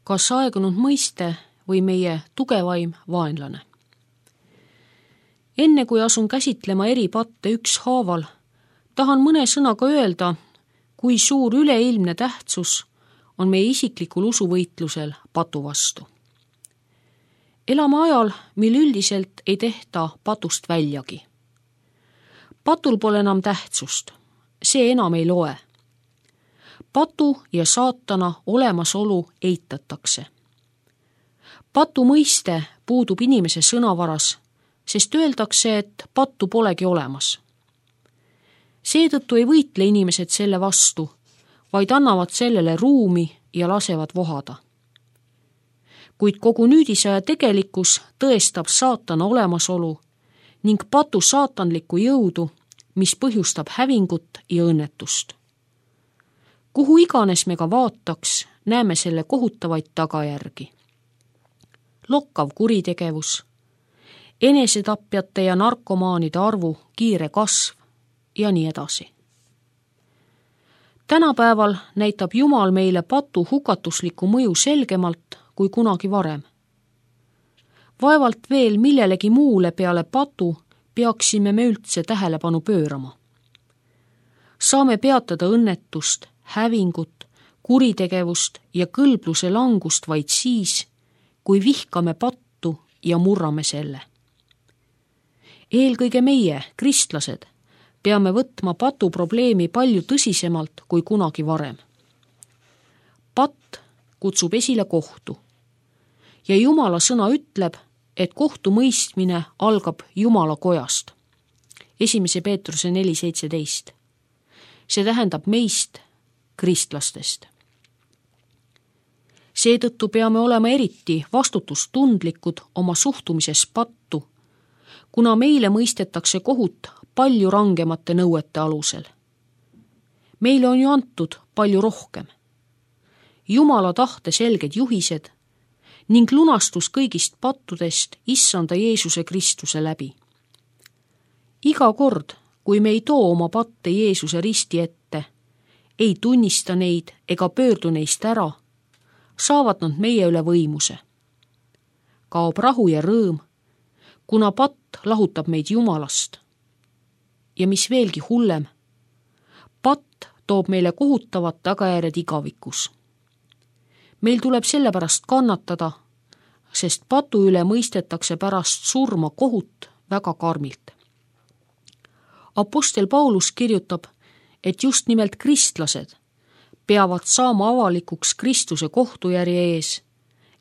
kas aegunud mõiste või meie tugevaim vaenlane. Enne kui asun käsitlema eri patte ükshaaval, tahan mõne sõnaga öelda, kui suur üleilmne tähtsus on meie isiklikul usuvõitlusel patu vastu. Elame ajal, mil üldiselt ei tehta patust väljagi. Patul pole enam tähtsust, see enam ei loe. Patu ja saatana olemasolu eitatakse. Patu mõiste puudub inimese sõnavaras, sest öeldakse, et pattu polegi olemas. Seetõttu ei võitle inimesed selle vastu, vaid annavad sellele ruumi ja lasevad vohada. Kuid kogu nüüdisaja tegelikkus tõestab saatana olemasolu ning patu saatanlikku jõudu, mis põhjustab hävingut ja õnnetust. Kuhu iganes me ka vaataks, näeme selle kohutavaid tagajärgi. Lokkav kuritegevus, enesetapjate ja narkomaanide arvu kiire kasv ja nii edasi. Tänapäeval näitab Jumal meile patu hukatuslikku mõju selgemalt kui kunagi varem. Vaevalt veel millelegi muule peale patu peaksime me üldse tähelepanu pöörama. Saame peatada õnnetust, hävingut, kuritegevust ja kõlbluse langust vaid siis, kui vihkame pattu ja murrame selle. Eelkõige meie, kristlased, peame võtma patu probleemi palju tõsisemalt kui kunagi varem. Patt kutsub esile kohtu ja Jumala sõna ütleb, et kohtumõistmine algab Jumala kojast. 1. Peetruse 4:17. See tähendab meist, kristlastest. Seetõttu peame olema eriti vastutustundlikud oma suhtumises pattu, kuna meile mõistetakse kohut palju rangemate nõuete alusel. Meile on ju antud palju rohkem. Jumala tahte selged juhised ning lunastus kõigist pattudest Issanda Jeesuse Kristuse läbi. Iga kord, kui me ei too oma patte Jeesuse risti ette, ei tunnista neid ega pöördu neist ära, saavad nad meie üle võimuse. Kaob rahu ja rõõm, kuna patt lahutab meid Jumalast. Ja mis veelgi hullem, patt toob meile kohutavad tagajärjed igavikus. Meil tuleb sellepärast kannatada, sest patu üle mõistetakse pärast surma kohut väga karmilt. Apostel Paulus kirjutab, et just nimelt kristlased peavad saama avalikuks Kristuse kohtujärje ees,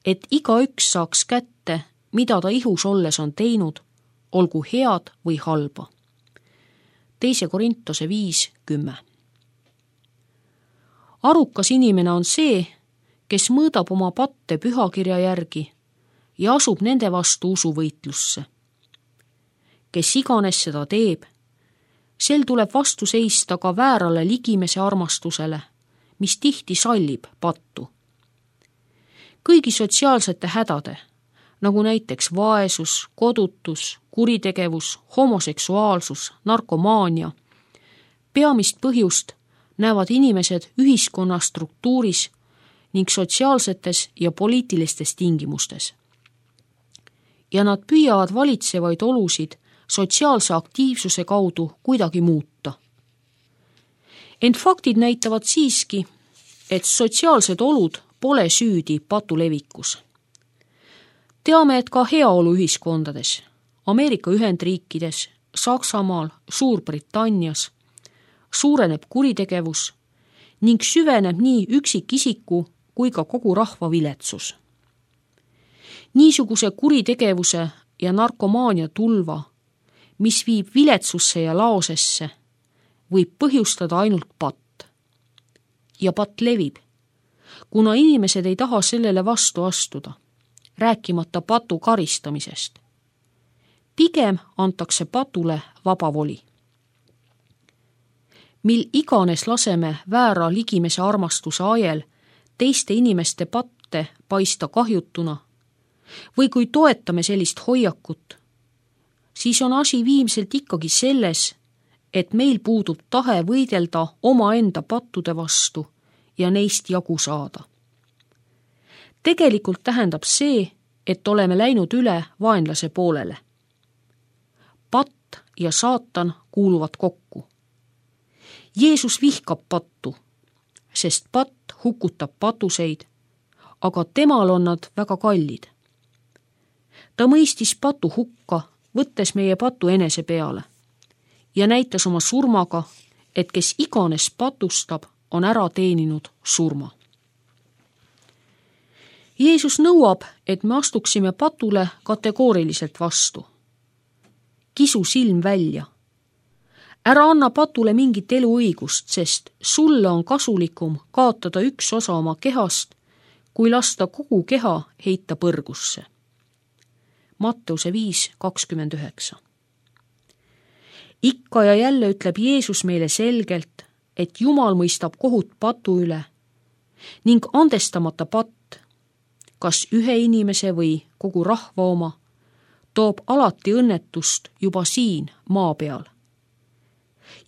et igaüks saaks kätte, mida ta ihus olles on teinud, olgu head või halba. 2. Korintuse 5:10. Arukas inimene on see, kes mõõdab oma patte pühakirja järgi ja asub nende vastu usuvõitlusse. Kes iganes seda teeb, sel tuleb vastu seista ka väärale ligimese armastusele, mis tihti sallib pattu. Kõigi sotsiaalsete hädade, nagu näiteks vaesus, kodutus, kuritegevus, homoseksuaalsus, narkomaania, peamist põhjust näevad inimesed ühiskonna struktuuris ning sotsiaalsetes ja poliitilistes tingimustes. Ja nad püüavad valitsevaid olusid sotsiaalse aktiivsuse kaudu kuidagi muuta. Ent faktid näitavad siiski, et sotsiaalsed olud pole süüdi patu levikus. Teame, et ka heaoluühiskondades, Ameerika Ühendriikides, Saksamaal, Suurbritannias suureneb kuritegevus ning süveneb nii üksikisiku kui ka kogu rahva viletsus. Niisuguse kuritegevuse ja narkomaania tulva, mis viib viletsusse ja laosesse, võib põhjustada ainult patt. Ja patt levib, kuna inimesed ei taha sellele vastu astuda, rääkimata patu karistamisest. Pigem antakse patule vaba voli. Mil iganes laseme väära ligimese armastuse ajel teiste inimeste patte paista kahjutuna või kui toetame sellist hoiakut, siis on asi viimselt ikkagi selles, et meil puudub tahe võidelda omaenda pattude vastu ja neist jagu saada. Tegelikult tähendab see, et oleme läinud üle vaenlase poolele. Patt ja saatan kuuluvad kokku. Jeesus vihkab pattu, sest patt hukutab patuseid, aga temal on nad väga kallid. Ta mõistis patu hukka, võttes meie patu enese peale ja näitas oma surmaga, et kes iganes patustab, on ära teeninud surma. Jeesus nõuab, et me astuksime patule kategooriliselt vastu. Kisu silm välja. Ära anna patule mingit eluõigust, sest sulle on kasulikum kaotada üks osa oma kehast, kui lasta kogu keha heita põrgusse. Matteuse 5:29. Ikka ja jälle ütleb Jeesus meile selgelt, et Jumal mõistab kohut patu üle ning andestamata patt, kas ühe inimese või kogu rahva oma, toob alati õnnetust juba siin maa peal.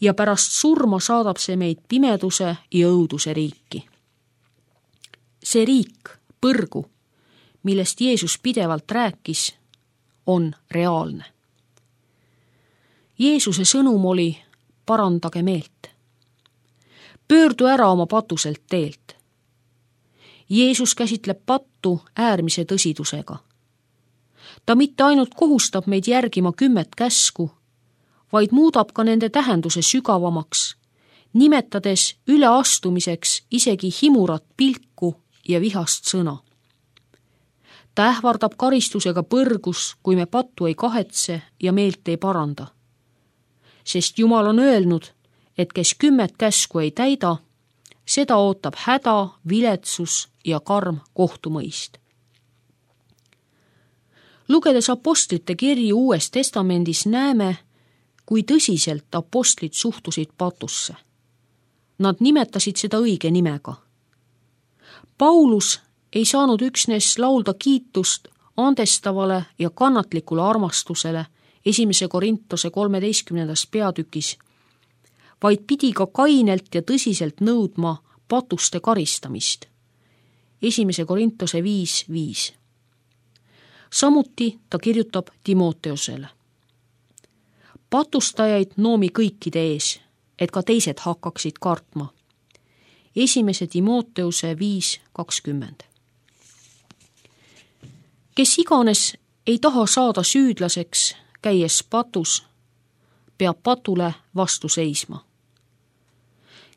Ja pärast surma saadab see meid pimeduse ja õuduse riiki. See riik, põrgu, millest Jeesus pidevalt rääkis, on reaalne. Jeesuse sõnum oli: parandage meelt. Pöördu ära oma patuselt teelt. Jeesus käsitleb pattu äärmise tõsidusega. Ta mitte ainult kohustab meid järgima 10 käsku, vaid muudab ka nende tähenduse sügavamaks, nimetades üleastumiseks isegi himurat pilku ja vihast sõna. Ta ähvardab karistusega põrgus, kui me pattu ei kahetse ja meelt ei paranda. Sest Jumal on öelnud, et kes 10 käsku ei täida, seda ootab häda, viletsus ja karm kohtumõist. Lugedes apostlite kirju Uues Testamendis näeme, kui tõsiselt apostlid suhtusid patusse. Nad nimetasid seda õige nimega. Paulus ei saanud üksnes laulda kiitust andestavale ja kannatlikule armastusele 1. Korintuse 13. peatükis, vaid pidi ka kainelt ja tõsiselt nõudma patuste karistamist. 1. Korintuse 5:5. Samuti ta kirjutab Timoteusele: patustajaid noomi kõikide ees, et ka teised hakkaksid kartma. 1. Timoteuse 5:20. Kes iganes ei taha saada süüdlaseks, käies patus, peab patule vastu seisma.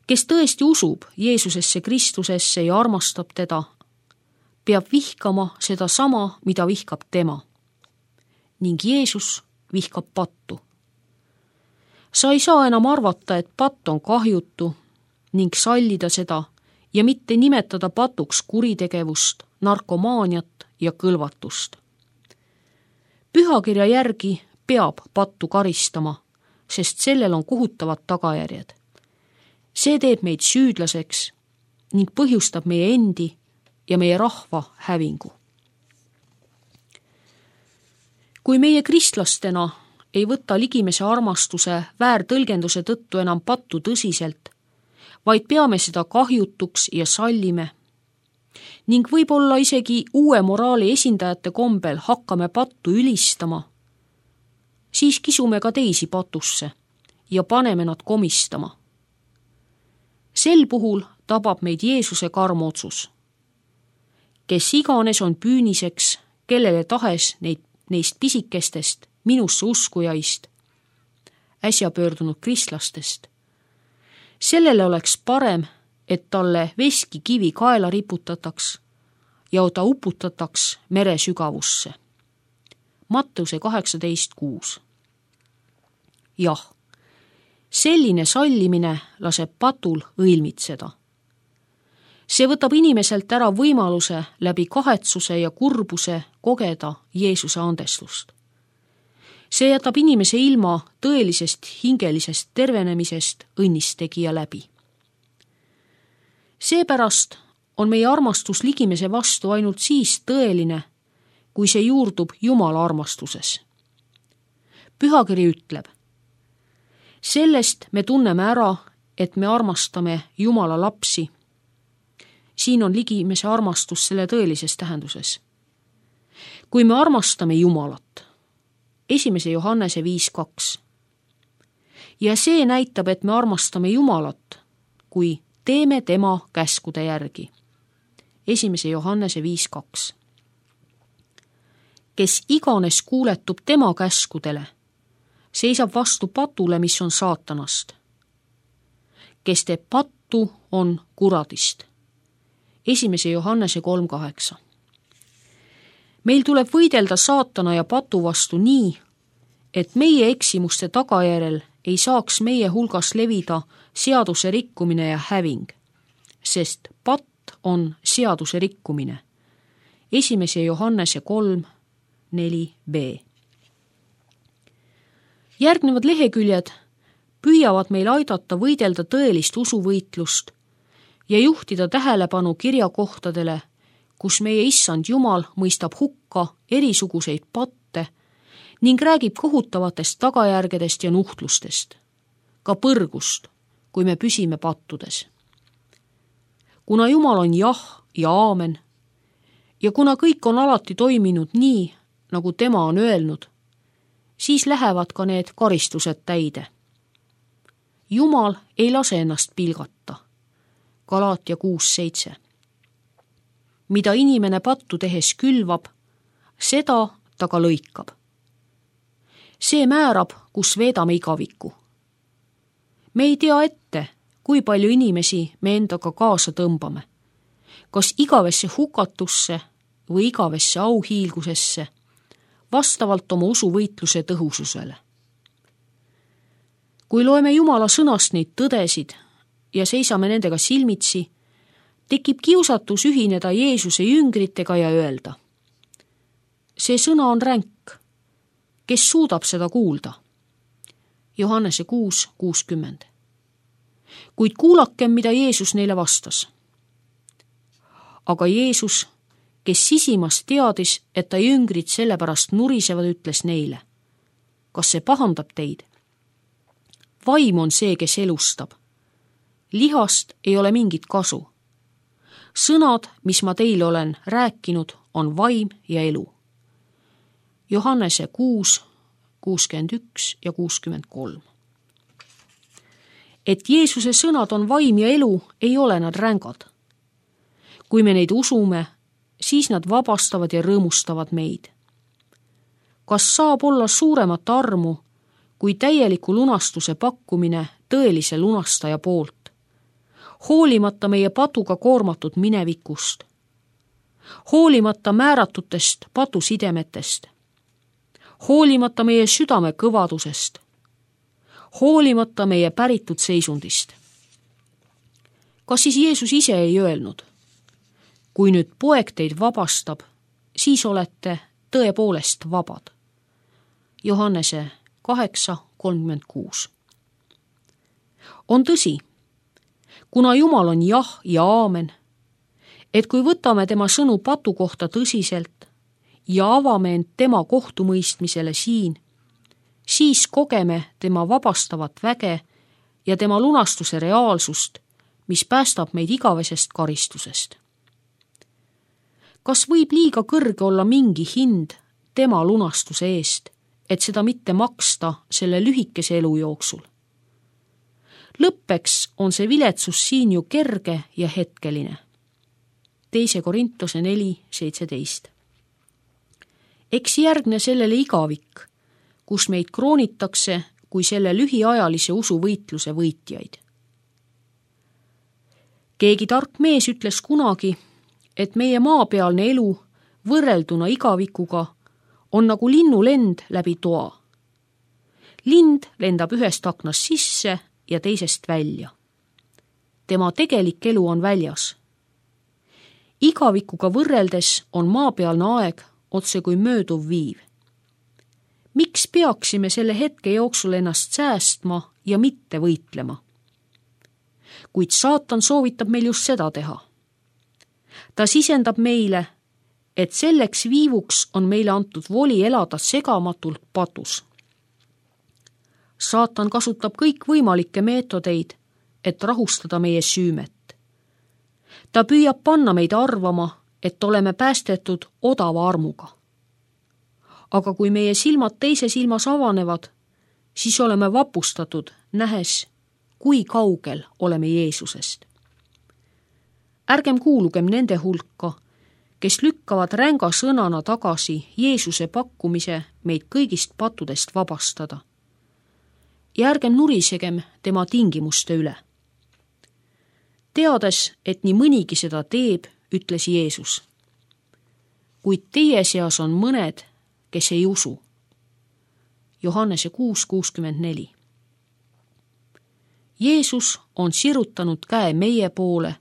Kes tõesti usub Jeesusesse Kristusesse ja armastab teda, peab vihkama seda sama, mida vihkab tema. Ning Jeesus vihkab pattu. Sa ei saa enam arvata, et patt on kahjutu ning sallida seda ja mitte nimetada patuks kuritegevust, narkomaaniat ja kõlvatust. Pühakirja järgi peab pattu karistama, sest sellel on kohutavad tagajärjed. See teeb meid süüdlaseks ning põhjustab meie endi ja meie rahva hävingu. Kui meie kristlastena ei võta ligimese armastuse väärtõlgenduse tõttu enam pattu tõsiselt, vaid peame seda kahjutuks ja sallime ning võib-olla isegi uue moraali esindajate kombel hakkame pattu ülistama, siis kisume ka teisi patusse ja paneme nad komistama. Sel puhul tabab meid Jeesuse karm otsus. Kes iganes on püüniseks, kellele tahes neist pisikestest minusse uskujaist, äsja pöördunud kristlastest, sellele oleks parem, et talle veskikivi kaela riputataks ja ta uputataks mere sügavusse. Matteuse 18:6. Jah, selline sallimine laseb patul õilmitseda. See võtab inimeselt ära võimaluse läbi kahetsuse ja kurbuse kogeda Jeesuse andestust. See jätab inimese ilma tõelisest hingelisest tervenemisest õnnistegija läbi. Seepärast on meie armastus ligimese vastu ainult siis tõeline, kui see juurdub Jumala armastuses. Pühakiri ütleb: sellest me tunneme ära, et me armastame Jumala lapsi, siin on ligimese armastus selle tõelises tähenduses. Kui me armastame Jumalat, 1. Johannese 5:2. ja see näitab, et me armastame Jumalat, kui teeme tema käskude järgi. 1. Johannese 5:2. Kes iganes kuuletub tema käskudele, seisab vastu patule, mis on saatanast. Kes teeb pattu, on kuradist. 1. Johannese 3:8. Meil tuleb võidelda saatana ja patu vastu nii, et meie eksimuste tagajärjel ei saaks meie hulgas levida seaduse rikkumine ja häving, sest patt on seaduse rikkumine. 1. Johannese 3:4b. Järgnevad leheküljed püüavad meil aidata võidelda tõelist usuvõitlust ja juhtida tähelepanu kirjakohtadele, kus meie issand Jumal mõistab hukka erisuguseid patte ning räägib kohutavatest tagajärgedest ja nuhtlustest, ka põrgust, kui me püsime pattudes. Kuna Jumal on jah ja aamen ja kuna kõik on alati toiminud nii, nagu tema on öelnud, siis lähevad ka need karistused täide. Jumal ei lase ennast pilgata. Galaatia 6:7. Mida inimene pattu tehes külvab, seda ta ka lõikab. See määrab, kus veedame igaviku. Me ei tea ette, kui palju inimesi me endaga kaasa tõmbame, kas igavesse hukatusse või igavesse auhiilgusesse, vastavalt oma usuvõitluse tõhususele. Kui loeme Jumala sõnast neid tõdesid ja seisame nendega silmitsi, tekib kiusatus ühineda Jeesuse jüngritega ja öelda: see sõna on ränk, kes suudab seda kuulda? Johannese 6:60. Kuid kuulakem, mida Jeesus neile vastas. Aga Jeesus, kes sisimas teadis, et ta jüngrid sellepärast nurisevad, ütles neile: kas see pahandab teid? Vaim on see, kes elustab. Lihast ei ole mingit kasu. Sõnad, mis ma teile olen rääkinud, on vaim ja elu. Johannese 6:61 ja 63. Et Jeesuse sõnad on vaim ja elu, ei ole nad rängad. Kui me neid usume, siis nad vabastavad ja rõõmustavad meid. Kas saab olla suuremat armu kui täieliku lunastuse pakkumine tõelise lunastaja poolt, hoolimata meie patuga koormatud minevikust, hoolimata määratutest patusidemetest, hoolimata meie südame kõvadusest, hoolimata meie päritud seisundist. Kas siis Jeesus ise ei öelnud: kui nüüd poeg teid vabastab, siis olete tõepoolest vabad? Johannese 8:36. On tõsi, kuna Jumal on jah ja aamen, et kui võtame tema sõnu patu kohta tõsiselt ja avame end tema kohtumõistmisele siin, siis kogeme tema vabastavat väge ja tema lunastuse reaalsust, mis päästab meid igavesest karistusest. Kas võib liiga kõrge olla mingi hind tema lunastuse eest, et seda mitte maksta selle lühikese elu jooksul? Lõppeks on see viletsus siin ju kerge ja hetkeline. 2. Korintuse 4:17. Eks järgne sellele igavik, kus meid kroonitakse kui selle lühiajalise usuvõitluse võitjaid. Keegi tark mees ütles kunagi, et meie maapealne elu võrrelduna igavikuga on nagu linnulend läbi toa. Lind lendab ühest aknast sisse ja teisest välja. Tema tegelik elu on väljas. Igavikuga võrreldes on maapealne aeg otse kui mööduv viiv. Miks peaksime selle hetke jooksul ennast säästma ja mitte võitlema? Kuid saatan soovitab meil just seda teha. Ta sisendab meile, et selleks viivuks on meile antud voli elada segamatult patus. Saatan kasutab kõikvõimalikke meetodeid, et rahustada meie süümet. ta püüab panna meid arvama, et oleme päästetud odava armuga. Aga kui meie silmad teise silmas avanevad, siis oleme vapustatud, nähes, kui kaugel oleme Jeesusest. Ärgem kuulugem nende hulka, kes lükkavad ränga sõnana tagasi Jeesuse pakkumise meid kõigist pattudest vabastada. Ja ärgem nurisegem tema tingimuste üle. Teades, et nii mõnigi seda teeb, ütles Jeesus. Kuid teie seas on mõned, kes ei usu. Johannese 6:64. Jeesus on sirutanud käe meie poole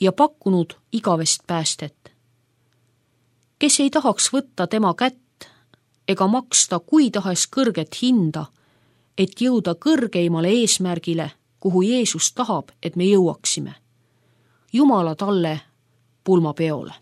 ja pakkunud igavest päästet. Kes ei tahaks võtta tema kätt ega maksta kui tahes kõrget hinda, et jõuda kõrgeimale eesmärgile, kuhu Jeesus tahab, et me jõuaksime. Jumala talle pulmapeole.